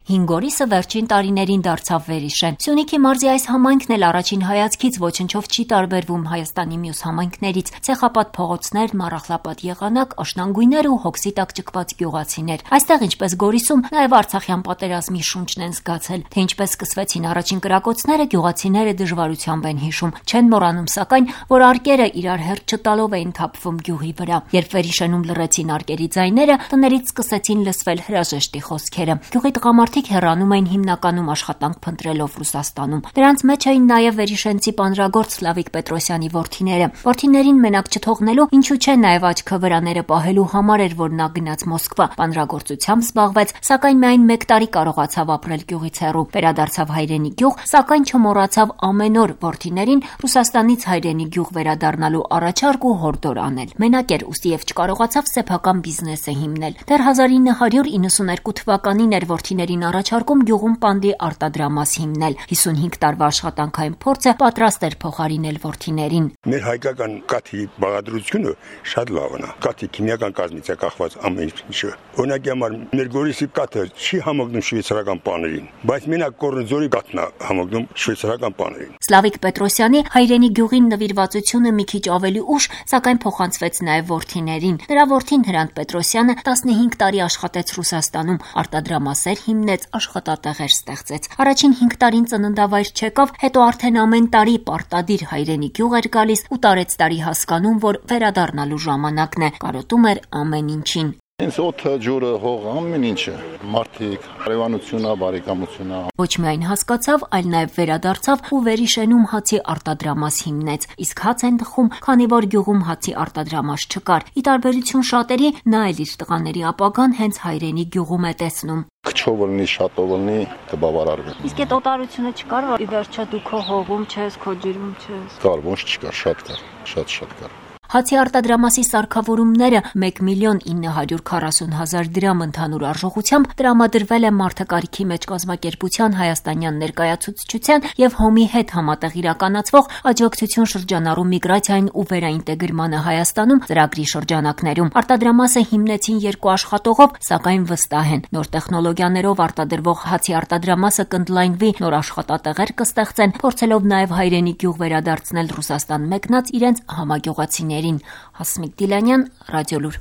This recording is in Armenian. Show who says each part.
Speaker 1: Հինգորիսը վերջին տարիներին դարձավ վերիշեն։ Սյունիքի մարզի այս համայնքն էլ առաջին հայացքից ոչնչով չի տարբերվում Հայաստանի մյուս համայնքներից։ Ցեխապատ փողոցներ, մառախլապատ եղանակ, աշնանգույներ ու հոգսի տակ ճկված գյուղացիներ։ Այստեղ, ինչպես Գորիսում, նաև Արցախյան պատերազմի շունչն են զգացել։ Թե ինչպես սկսվեցին առաջին կրակոցները, գյուղացիները դժվարությամբ են հիշում։ Չեն մոռանում, սակայն, որ արկերը իրար հերթ չտալով էին թափվում գյուղի վրա։ Երբ վերիշենում լռեցին արկերի ձայները, տներից սկսեցին լսվել հրաժեշտի խոսքերը։ Գյուղի տղամարդիկ հեռանում էին հիմնականում աշխատանք փնտրելով Ռուսաստանում։ Դրանց մեջ էին նաև վերիշենցի պանրագործ Սլավիկ Պետրոսյանի որդիները։ Որդիներին մենակ չթողնելու, ինչու չէ, նաև աչքը վրաները պահելու համար էր, որ նա գնաց Մոսկվա, պանրագործությամբ զբաղվեց, սակայն միայն 1 տարի կարողացավ ապրել գյուղից հեռու։ Վերադարձավ հայրենի գյուղ, սակայն չմոռացավ ամեն օր որդիներին Ռուսաստանից հայրենի գյուղ վերադառնալու առաջարկ ու հորդոր անել։ Մենակ էր, ուստի եւ չկարողացավ սեփական բիզնեսը հիմնել։ Դեռ 1992 թվականին էր որդիներին առաջարկում գյուղում պանդի արտադրամաս հիմնել։ 55 տարվա աշխատանքային փորձը պատրաստ էր փոխարինել որդիներին։
Speaker 2: Մեր հայկական կաթի բաղադրությունը շատ լավն է։ Կաթի քիմիական կազմից է կախված ամեն ինչը։ Օրինակի համար մեր Գորիսի կաթը չի համընկնում շվեյցարական պաներին, բայց մենակ Կորնձորի կաթն է համընկնում շվեյցարական պաներին։
Speaker 1: Սլավիկ Պետրոսյանի հայրենի գյուղին նվիրվածությունը մի քիչ ավելի ուշ, սակայն փոխանցվեց նաև որդիներին։ Նրա որդին Հրանտ Պետրոսյանը 15 տարի աշխատեց Ռուսաստանում, արտադրամասեր հիմնեց, աշխատատեղեր ստեղծեց։ Առաջին 5 տարին ծննդավայր չեկավ, հետո արդեն ամեն տարի պարտադիր հայրենի գյուղ էր գալիս ու տարեցտարի հասկանում, որ վերադառնալու ժամանակն է, կարոտում էր ամեն ինչին։
Speaker 3: Ինձ օդը, ջուրը, հողը, ամեն ինչը, մարդիկ, հարևանությունը, բարեկամությունը։
Speaker 1: Ոչ միայն հասկացավ, այլ նաև վերադարձավ ու վերիշենում հացի արտադրամաս հիմնեց։ Իսկ հաց են տխում, քանի որ գյուղում հացի արտադրամաս չկար։ Ի տարբերություն շատերի, նա էլ իր տղաների ապագան հենց հայրենի գյուղում է տեսնում։
Speaker 3: Քչով լինի, շատով լինի, կբավարարվի։
Speaker 1: Իսկ այդ օտարությունը չկար, որ ի վերջո դու քո հողում չես, քո ջրում չես։
Speaker 3: Կար, ոչ չկար, շատ կար, շատ կար։
Speaker 1: Հացի արտադրամասի սարքավորումները 1.940.000 դրամ ընդհանուր արժողությամբ տրամադրվել է մարդակարգի մեջ կազմակերպության հայաստանյան ներկայացուցչության եւ ՀՕՄ-ի հետ համատեղ իրականացվող աջակցություն շրջանառու միգրացիային ու վերաինտեգրմանը Հայաստանում ծրագրի շրջանակներում։ Արտադրամասը հիմնեցին 2 աշխատողով, սակայն վստահ են, նոր տեխնոլոգիաներով արտադրվող հացի արտադրամասը կընդլայնվի, նոր աշխատատեղեր կստեղծեն, փորձելով նաեւ հայրենի գյուղ վերադարձնել Ռուսաստան մեկնած իրենց համագյուղացիներին։ Հասմիկ Դիլանյան, Ռադիոլուր։